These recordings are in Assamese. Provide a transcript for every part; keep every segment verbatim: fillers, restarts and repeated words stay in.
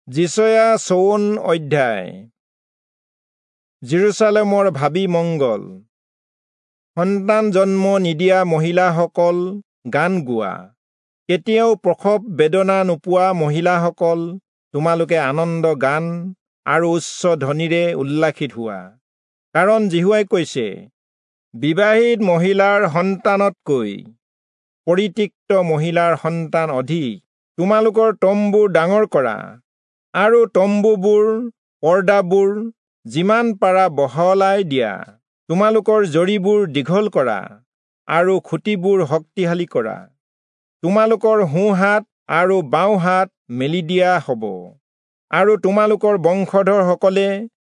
যিচয়া চৌৱন অধ্যায়। যিৰূচালেমৰ ভাবী মংগল। সন্তান জন্ম নিদিয়া মহিলাসকল গান গোৱা, কেতিয়াও প্ৰসৱ বেদনা নোপোৱা মহিলাসকল তোমালোকে আনন্দ গান আৰু উচ্চ ধ্বনিৰে উল্লাসিত হোৱা। কাৰণ যিহোৱাই কৈছে, বিবাহিত মহিলাৰ সন্তানতকৈ পৰিত্যক্ত মহিলাৰ সন্তান অধিক। তোমালোকৰ তম্বু ডাঙৰ কৰা আৰু তম্বুবোৰ পৰ্দাবোৰ যিমান পাৰা বহলাই দিয়া। তোমালোকৰ জৰীবোৰ দীঘল কৰা আৰু খুঁটিবোৰ শক্তিশালী কৰা। তোমালোকৰ সোঁহাত আৰু বাওঁহাত মেলি দিয়া হ'ব, আৰু তোমালোকৰ বংশধৰসকলে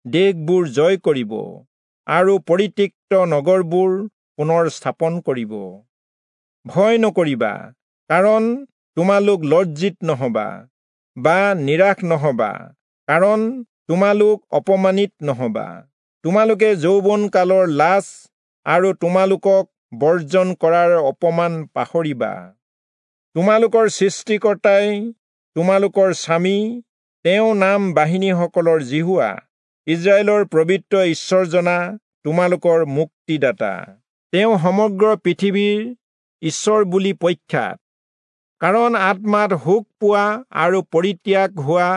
দেশবোৰ জয় কৰিব আৰু পৰিত্যক্ত নগৰবোৰ পুনৰ স্থাপন কৰিব। ভয় নকৰিবা, কাৰণ তোমালোক লজ্জিত নহবা, বা নিৰাশ নহবা, কাৰণ তোমালোক অপমানিত নহবা। তোমালোকে যৌৱন কালৰ লাজ আৰু তোমালোকক বৰ্জন কৰাৰ অপমান পাহৰিবা। তোমালোকৰ সৃষ্টিকৰ্তাই তোমালোকৰ স্বামী, তেওঁ নাম বাহিনীসকলৰ যিহোৱা, ইস্ৰায়েলৰ পবিত্ৰ ঈশ্বৰজনা তোমালোকৰ মুক্তিদাতা। তেওঁ সমগ্ৰ পৃথিৱীৰ ঈশ্বৰ বুলি প্ৰখ্যাত। কাৰণ আত্মাত শোক পোৱা আৰু পৰিত্যাগ হোৱা,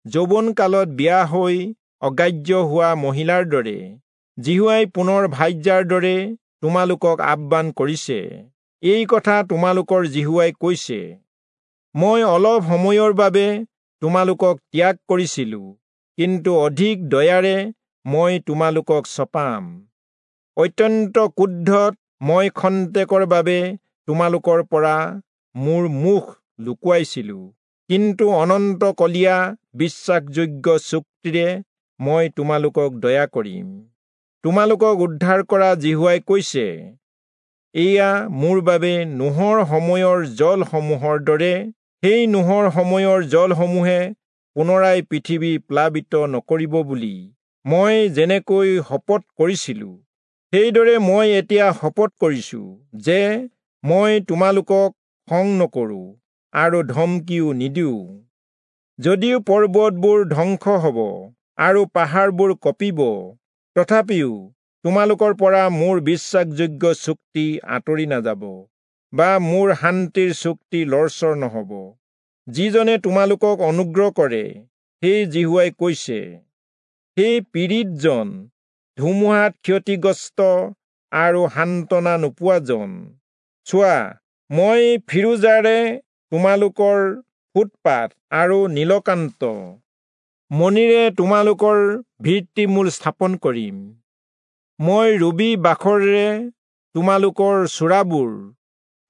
যৌৱনকালত বিয়া হৈ অগ্ৰাহ্য হোৱা মহিলাৰ দৰে যিহোৱাই পুনৰ ভাৰ্যাৰ দৰে তোমালোকক আহ্বান কৰিছে। এই কথা তোমালোকৰ যিহোৱাই কৈছে, মই অলপ সময়ৰ বাবে তোমালোকক ত্যাগ কৰিছিলো, কিন্তু অধিক দয়াৰে মই তোমালোকক চপাম। অত্যন্ত ক্ৰোধত মই খন্তেকৰ বাবে তোমালোকৰ পৰা মোৰ মুখ লুকুৱাইছিলো, কিন্তু অনন্তকলীয়া বিশ্বাসযোগ্য চুক্তিৰে মই তোমালোকক দয়া কৰিম। তোমালোকক উদ্ধাৰ কৰা যিহোৱাই কৈছে, এয়া মোৰ বাবে নোহৰ সময়ৰ জলসমূহৰ দৰে। সেই নোহৰ সময়ৰ জলসমূহে পুনৰাই পৃথিৱী প্লাবিত নকৰিব বুলি মই যেনেকৈ শপত কৰিছিলো, সেইদৰে মই এতিয়া শপত কৰিছো যে মই তোমালোকক খং নকৰো আৰু ধমকিও নিদিওঁ। যদিও পৰ্বতবোৰ ধ্বংস হ'ব আৰু পাহাৰবোৰ কঁপিব, তথাপিও তোমালোকৰ পৰা মোৰ বিশ্বাসযোগ্য চুক্তি আঁতৰি নাযাব, বা মোৰ শান্তিৰ চুক্তি লৰচৰ নহ'ব। যিজনে তোমালোকক অনুগ্ৰহ কৰে, সেই যিহোৱাই কৈছে, সেই পীড়িতজন, ধুমুহাত ক্ষতিগ্ৰস্ত আৰু সান্তনা নোপোৱাজন, চোৱা, মই ফিৰোজাৰে তোমালোকৰ ফুটপাত আৰু নীলকান্ত মণিৰে তোমালোকৰ ভিত্তিমূল স্থাপন কৰিম। মই ৰুবী বাখৰেৰে তোমালোকৰ চূড়াবোৰ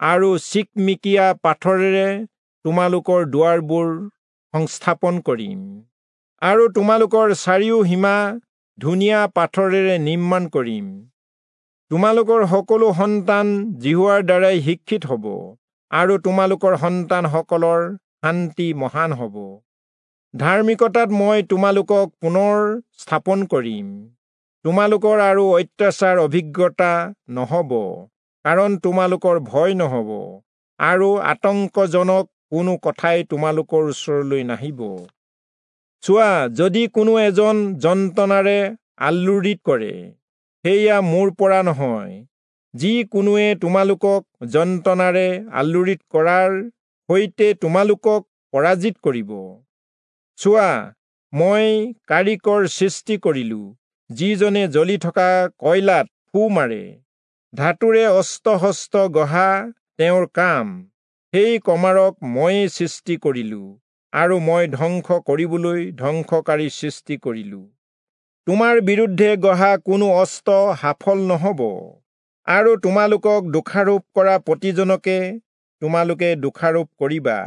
আৰু চিকমিকিয়া পাথৰেৰে তোমালোকৰ দুৱাৰবোৰ সংস্থাপন কৰিম, আৰু তোমালোকৰ চাৰিও সীমা ধুনীয়া পাথৰেৰে নিৰ্মাণ কৰিম। তোমালোকৰ সকলো সন্তান যিহোৱাৰ দ্বাৰাই শিক্ষিত হ'ব, আৰু তোমালোকৰ সন্তানসকলৰ শান্তি মহান হ'ব। ধাৰ্মিকতাত মই তোমালোকক পুনৰ স্থাপন কৰিম। তোমালোকৰ আৰু অত্যাচাৰ অভিজ্ঞতা নহ'ব, কাৰণ তোমালোকৰ ভয় নহ'ব, আৰু আতংকজনক কোনো কথাই তোমালোকৰ ওচৰলৈ নাহিব। চোৱা, যদি কোনো এজন যন্ত্ৰণাৰে আলোড়িত কৰে, সেয়া মোৰ পৰা নহয়। যি কোনোৱে তোমালোকক যন্ত্ৰণাৰে আলোড়িত কৰাৰ সৈতে তোমালোকক পৰাজিত কৰিব। চোৱা, মই কাৰিকৰ সৃষ্টি কৰিলো, যিজনে জ্বলি থকা কয়লাত ফু মাৰে। ধাতুৰে অস্ত্ৰ-শস্ত্ৰ গঢ়া তেওঁৰ কাম। সেই কমাৰক ময়েই সৃষ্টি কৰিলো, আৰু মই ধ্বংস কৰিবলৈ ধ্বংসকাৰী সৃষ্টি কৰিলো। তোমাৰ বিৰুদ্ধে গঢ়া কোনো অস্ত্ৰ সফল নহ'ব, আৰু তোমালোকক দোষাৰোপ কৰা প্ৰতিজনকে তোমালোকে দোষাৰোপ কৰিবা।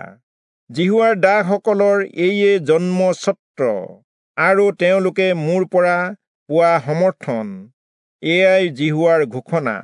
যিহোৱাৰ দাসসকলৰ এইয়ে জন্মস্বত্ব, আৰু তেওঁলোকে মোৰ পৰা পোৱা সমৰ্থন, এয়াই যিহোৱাৰ ঘোষণা।